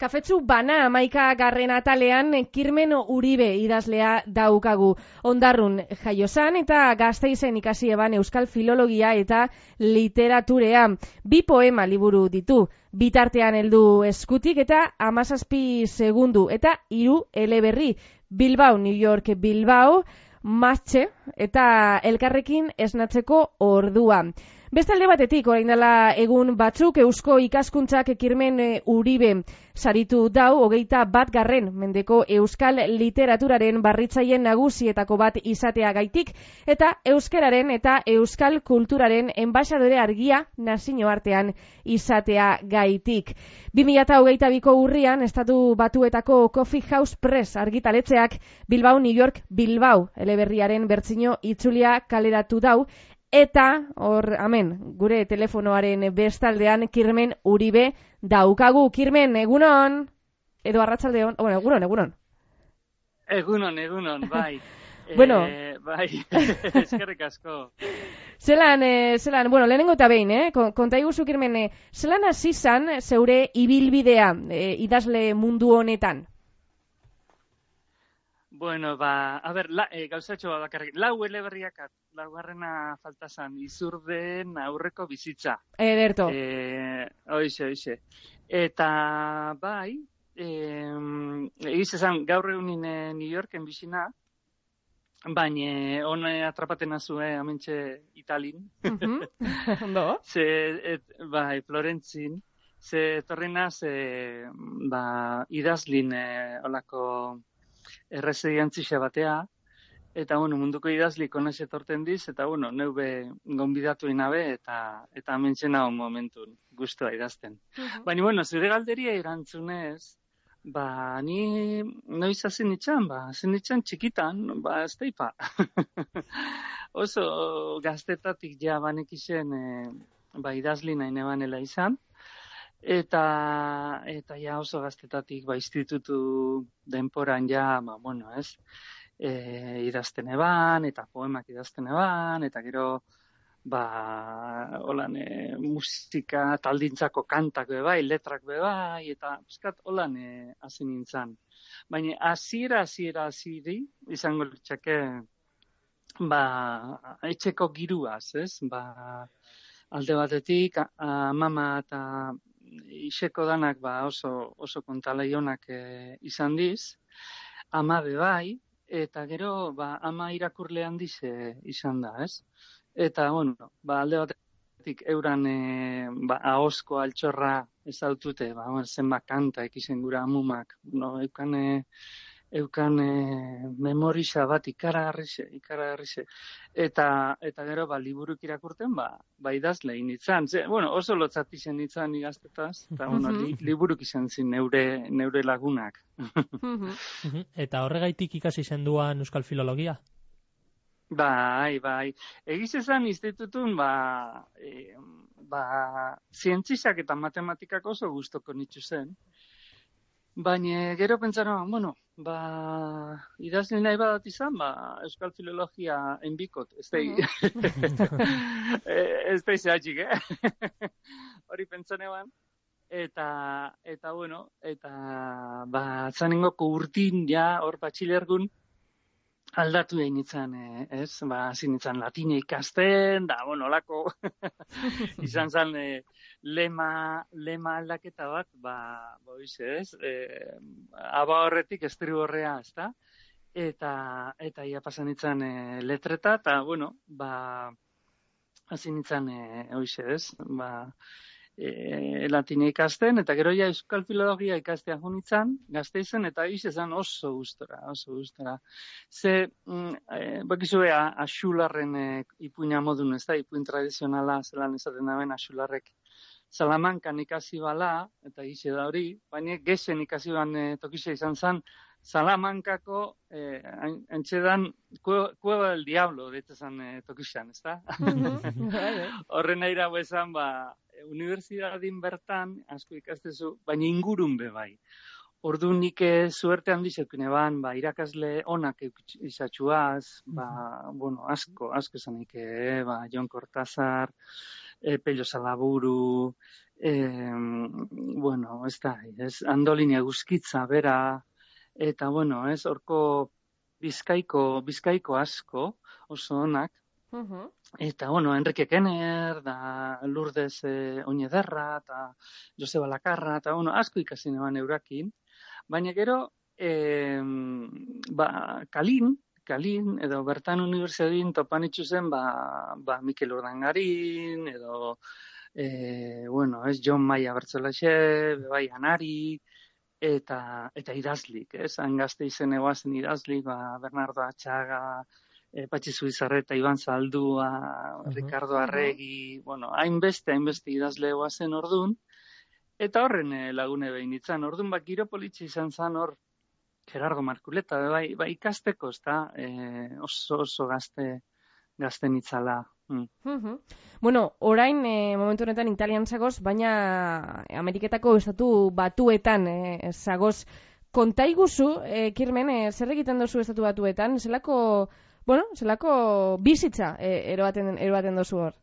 Kafetzu bana 11. atalean Kirmen Uribe idazlea daukagu. Ondarrun jaiozan eta Gasteizen ikasi eban euskal filologia eta literaturea. 2 poema liburu ditu. Bitartean heldu eskutik eta 17 segundu eta 3 eleberri. Bilbao, New York, Bilbao, Matxe eta elkarrekin esnatzeko ordua. Bestalde batetik, orain dela egun batzuk, Eusko Ikaskuntzak Kirmen Uribe saritu dau 21. mendeko euskal literaturaren barritzaien nagusietako bat izatea gaitik, eta euskararen eta euskal kulturaren enbaxadore argia nazioartean izatea gaitik. 2022ko urrian, Estatu Batuetako Coffee House Press argitaletxeak Bilbao, New York, Bilbao eleberriaren bertsio itzulia kaleratu dau, eta, hor, gure telefonoaren bestaldean Kirmen Uribe daukagu. Kirmen, egunon? Edo arratsaldeon? Bueno, egunon. Egunon, bai. Bueno. Bai, eskerrik asko. Zelan, lehenengo eta behin, konta iguzu, Kirmen, zelan hasi zan zeure ibilbidea idazle mundu honetan? Bueno, gauzatxo bat bakarrik. 4 eleberriak, 4. falta zan, Izurden aurreko bizitza. Ederto. Hoxe. Eta, bai, egiz esan, gaur egunin New Yorken bizina, baina hone atrapaten azue amentxe Italin. Ondo? Bai, Florentzin. Ze torrenaz, idazlin olako erresidentzia batea, eta munduko idazlik honez etorten diz, eta neube gonbidatu inabe, eta amentzena momentun guztua idazten. Baina, zure galderia erantzunez, ni noiz hasi nitxan, txikitan, ez daipa. Oso gaztetatik ja banekixen idazli nahi nebanela izan, eta ja oso gaztetatik institutu denporan ja, idazten eban, eta poemak idazten eban, eta gero, holan, musika taldintzako kantak bebai, letrak bebai, eta holan hasi nintzen. Baina, hasiera izango litzake, etxeko giruaz, ez? Alde batetik, mama eta iseko danak oso kontalaionak izan diz, ama bebai, eta gero ama irakurle handiz izan da, ez? Eta, alde batetik euran ahozko altxorra ezautute, zenba kanta ekizen gura amumak, eukan memorisa bat ikaragarrize. Eta gero, liburuk irakurten, idazle initzan. Oso lotzat izan nintzen igaztetaz, eta liburuk izan zin neure lagunak. Eta horregaitik ikasi zenduan euskal filologia? Bai. Egiz esan institutun, zientzizak eta matematikak oso gustoko nitzu zen. Baina gero pentsara, idazle nahi badat izan, euskal filologia enbikot, ez da izatxik, hori pentsan eban. Eta zanengoko urtin, hor batxilergun, aldatu egin nintzen, ez? Hasi nintzen latine ikasten, olako, izan zen lema aldaketa bat, ez? Aba horretik estribu horrea, ez da? Eta ia pasan nintzen letreta, eta, hasi nintzen, ez? Latine ikasten, eta gero ja euskal filologia ikastea junitzen, Gasteizen, eta izan oso gustora. Ze, bakizue, Axularren ipuina modun, ez da, ipuin tradizionala, zelan esaten daben Axularrek Salamankan ikasi bala, eta ize da hori, baina gesen ikasi ban tokisa izan zen, Salamankako antxedan Cueva del Diablo, deitezan tokisan, ez da? Horren nahi dago esan, unibertsitatien bertan, asko ikastezu, baina ingurun bai. Ordu nik suerte handi zeukin eban, irakasle onak izatxuaz, asko esanik, Jon Cortázar, Pello Salaburu, bueno, ez da, Andolin eguzkitza bera, eta, bueno, horko bizkaiko asko, oso onak, eta, bueno, Enrique Kenner, da Lourdes Oñederra, eta Joseba Lakarra, eta, bueno, asko ikasi neban eurakin, baina gero, Kalin, edo bertan unibertsiadin topan itxuzen, Mikel Urdangarin, edo, bueno, John Maia Bertzolaxe, bai Anari, eta idazlik, han Gasteizen egoazen idazlik, Bernardo Atxaga, Patxi Zubizarreta, Iban Zaldua, Ricardo Arregi, bueno, hainbeste idazle egoazen ordun, eta horren lagune behin itzan, ordun giro politxe izan zan hor, Gerardo Markuleta, bai ikasteko, ez da, oso gazten itzala. Bueno, orain, momentu honetan Italian zagoz, baina Ameriketako estatu batuetan zagoz. Kontaiguzu, Kirmen, zer egiten dozu estatu batuetan? Zelako bizitza eroaten dozu hor?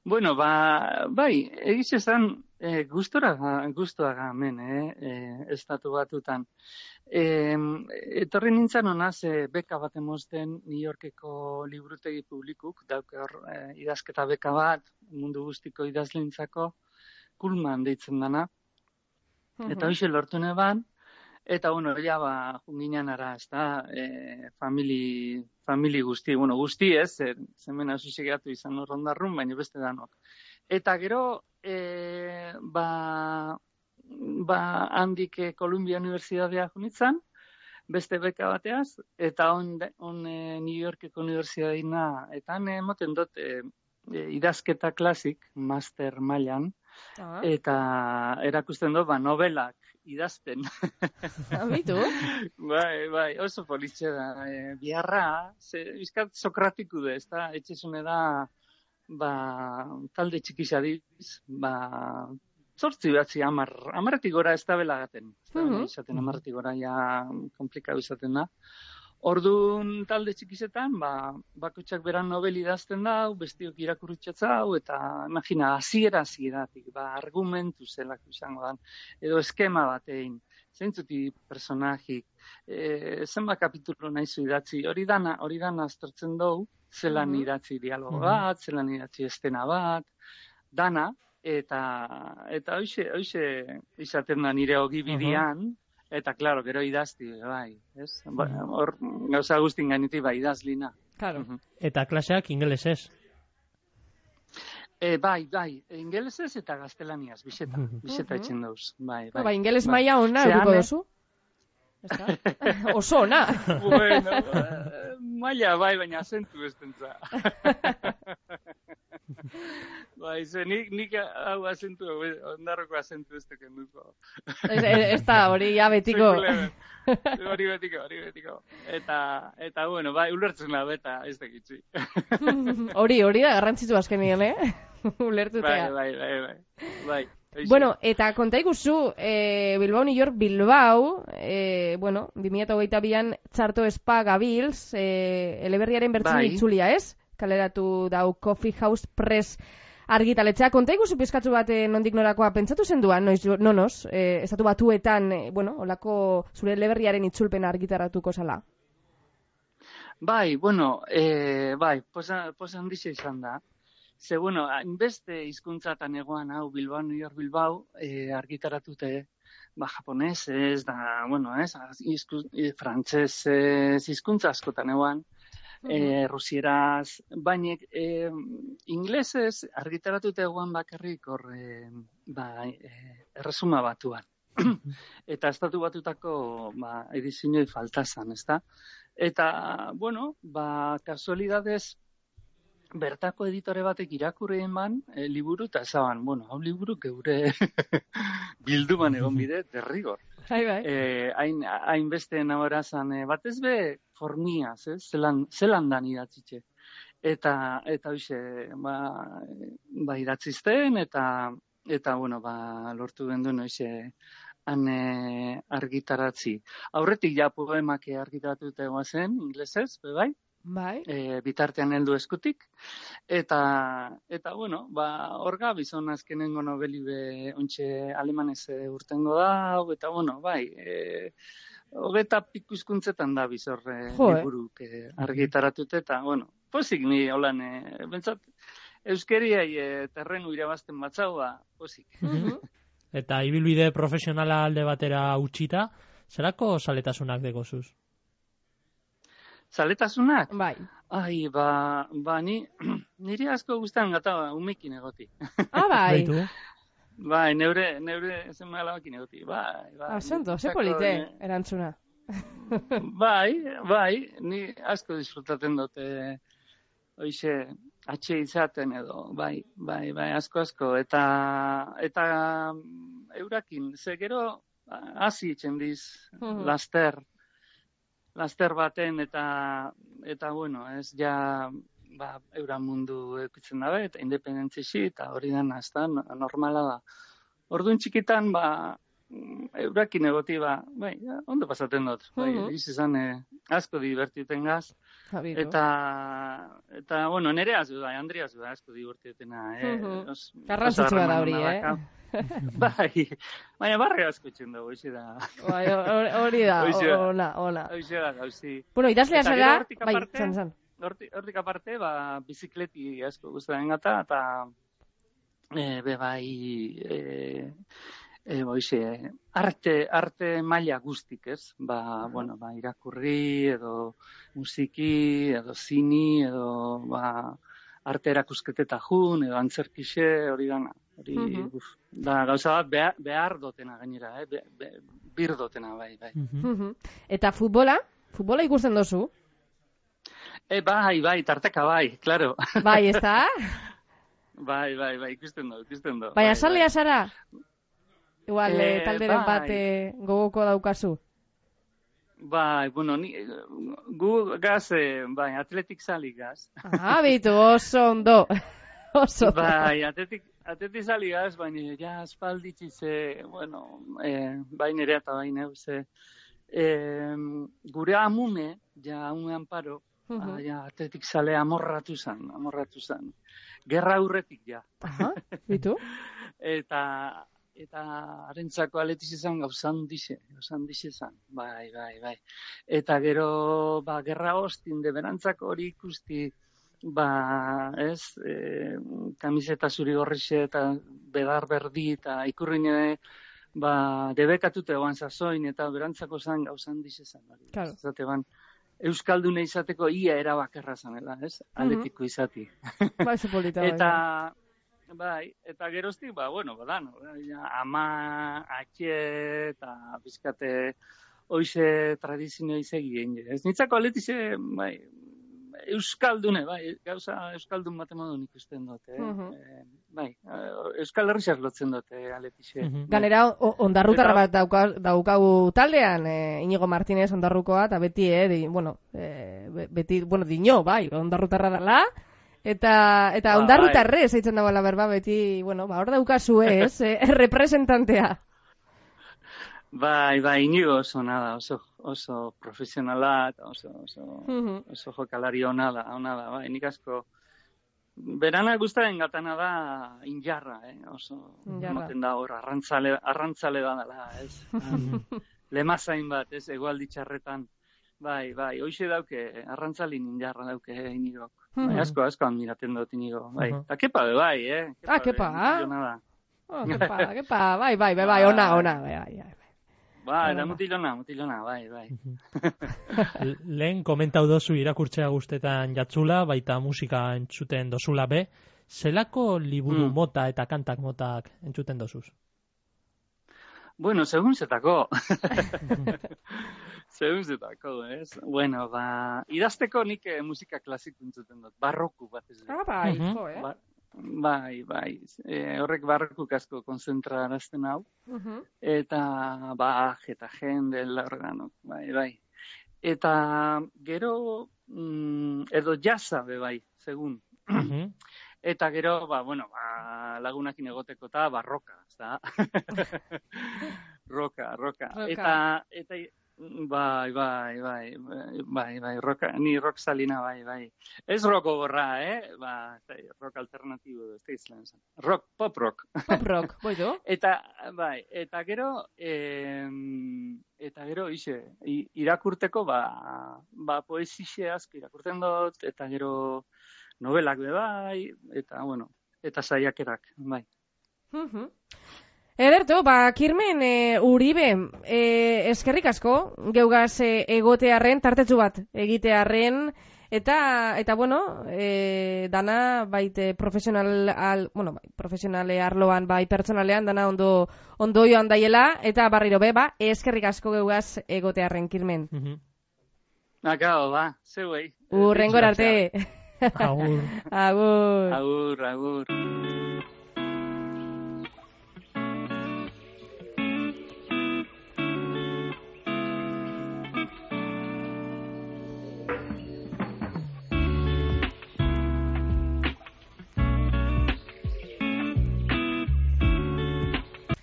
Bueno, bai, egiz esan, guztuaga hemen, estatu batutan. Etorri nintzen honaz, beka bat emozten New Yorkeko liburutegi publikuk, dauke hor idazketa beka bat, mundu guztiko idazlintzako, Kuhlman deitzen dana. Eta hoxe lortu neban, eta, bueno, junginan ara, ez da, famili guzti, bueno, guzti ez, zemen asusigatu izan horrondarrun, baina beste danok. Eta gero, handik Columbia Universidadea junitzen, beste beka bateaz, eta on New Yorkeko Universidadina, eta han emoten dut idazketa klasik, master mailan, eta erakusten dut, novelak idazten. Abitu? Bai, oso politxe da. Biarra, bizkat sokratiku da, ez da, etxezune da, talde txikizadiz, 8 amarretik gora ez da belagaten. Izaten amarretik gora ja komplikau izaten da. Orduan talde txikizetan, bakotxak beran novel idazten da, bestiok irakurritxatzau, eta imagina, hasieratik, argumentu zelak izango dan, edo eskema batein, zeintzuti personajik, zenba kapitulo nahizu idatzi, hori dana aztertzen dugu, zelan idatzi dialogo bat, zelan idatzi estena bat, dana, eta hoxe izaten da nire ogibidean, eta, klaro, gero idazti, bai, ez? Hor, gauza guztin gainetik, idazlina. Claro. Eta klaseak ingelesez? Bai, ingelesez eta gaztelaniaz, biseta etxen dauz. Bai, ingeles maila ona eduko dozu? Oso ona. Bueno, maila, baina azentu ez dentza. Bai, nik hau azentu, ondarroko azentu ez teken duko. Ez da, hori ya betiko. Hori betiko. Eta, bueno, bai, ulertzen da beta ez tekitzi. Hori da garrantzitu azkenien, ulertutea. Bai. Bueno, eta kontaiguzu, Bilbao, New York, Bilbao, 2022an txarto espa gabilz, eleberriaren bertzin itzulia, ez? Kaleratu dau Coffee House Press argitaletxea. Kontaiguzu pizkatzu bat nondik norakoa pentsatu zenduan, nonoz, estatu batuetan, olako zure eleberriaren itzulpena argitaratuko zala? Bai, posa handixe izan da. Ze, hainbeste hizkuntzatan egoan hau Bilbao, New York, Bilbao, argitaratute, japonesez, da, frantsesez, hizkuntza askotan egoan, rusieraz, baina inglesez argitaratute egoan bakarrik hor, erresuma batuan. Eta estatu batutako, edizioi faltazan, ezta? Eta, kasualidadez, bertako editore batek irakurrien liburu eta ezaban, hau liburu geure bilduman egon bide, derrigor. Hainbeste nahorazan, batez be formiaz, zelan dan idatzitxe. Eta hoxe, idatzizten, eta lortu genduen hoxe han argitaratzi. Aurretik ja poemak argitaratuta egoa zen, inglesez, bai? Bai. Bitartean heldu eskutik, eta bueno, hor gabiz on azkenengo nobeli be ontxe alemanez urtengo da, eta bueno, bai, hogeta piku hizkuntzetan da bizor liburuk argitaratute, eta bueno, pozik ni holan, bentsat, euskeriai terrenu irabazten batzau, pozik. Eta ibilbide profesionala alde batera utzita, zerako zaletasunak degozuz? Zaletasunak? Bai. Ai, niri asko guztan gata umekin egoti. Bai. Bai, neure zenba alabakin egoti. Bai. Santo, ze polite, erantzuna. Bai, ni asko disfrutaten dute hoize atxe izaten edo, bai, asko, eta eurakin, ze gero hasi itzen diz, laster baten, eta bueno, ez ja, eura mundu eukitzen dabe, eta independentzisi, eta hori dena, ez da, normala da. Orduan txikitan, eurakin egoti, bai, ondo pasaten dut, bai, izan asko divertiten gaz, eta, bueno, nere azu da, Andri azu da, asko divertitena, garrantzitsua da hori, Bai, baina barre asko itxen dugu, hoxe da. Bai, hori da, ona. Hoxe da, gauzi. Bueno, idazlea zara, bai, zan. Hortik aparte, bizikleti asko guztaren gata, eta bai, arte maila guztik, ez? Bueno, irakurri, edo musiki, edo zini, edo arte erakusketeta jun, edo antzerkixe, hori dana. Da, gauza bat behar dotena gainera, bir dotena, bai. Eta futbola? Futbola ikusten dozu? Bai, tarteka bai, klaro. Bai, ez da? Bai, ikusten do. Baina salea zara? Igual, talderen bat gogoko daukazu? Bai, bueno, gu gaz, bai, atletik sali gaz. Bitu, oso ondo. Bai, atletik sali gaz, baina ja aspalditzize, bueno, bai nerea eta bai neuze, gure amume, ja amume amparo, ja atletik sale amorratu zan. Gerra aurretik, ja. Bitu? Eta harentzako aletiz izan gauzan dixe zan, bai. Eta gero, gerra hostin de berantzako hori ikusti, ez, kamiseta zuri gorrixe eta bedar berdi eta ikurrine, debekatute egoan zazoin eta berantzako zan gauzan dixe zan. Claro. Zate euskaldune izateko ia erabakerra zanela, ez? Aletiko izati. Bai, zepolita, bai. Eta geroztik, bueno, ama, atxe, eta bizkate hoize tradizio izegien. Ez nitzako aletize, bai, euskaldune, bai, gauza euskaldun batemodun ikusten dute. Bai, euskal herri lotzen dute aletize. Ganera, ondarrutarra bat daukagu taldean, Inigo Martínez ondarrukoa, eta beti, dino, bai, ondarrutarra dela. Eta ondarrutarrez eitzen dagoela berba, beti, hor daukazu ez, representantea. Bai, Inigo oso nada, oso profesionala, eta oso jokalari ona da, bai, nik asko. Berana guztaren gatana da injarra, oso, moten da hor, arrantzale da dela, ez. Lemazain bat, ez, egualdi txarretan. Bai, hoxe dauke, arrantzalin injarra dauke Inigok. Bai, asko admiraten dut Inigo, bai. Eta kepa be, bai, kepa, kepa, bai, ona, bai. Da mutilona, bai. Lehen komentau dozu irakurtzea guztetan jatzula, baita musika entzuten dozula be. Zelako liburu mota eta kantak motak entzuten dozuz? Bueno, segun zetako. Ez? Bueno, idazteko nik musika klasiko entzuten dut, barroku bat ez. Bai, Bai. Horrek barrokuk asko konzentrarazten hau. Eta Bach eta Händel organok, bai. Eta gero, edo jazza be bai, segun. Eta gero, lagunakin egoteko eta barroka, ez da? Roka. Eta Bai, ni rock salina, bai. Ez rock gogorra, rock alternatibo, ez da izan. Rock, pop rock. Pop rock, boitu. Eta gero, irakurteko, poesixe asko irakurtzen dut, eta gero novelak bai, eta saiakerak, bai. Ederto, Kirmen Uribe, eskerrik asko, geugaz egotearren, tartetsu bat egitearren, eta dana baite profesionale arloan, bai pertsonalean, dana ondo joan daiela, eta barriro eskerrik asko geugaz egotearren, Kirmen. Akao, zeuei. Urrengor arte. Agur. Agur. Agur.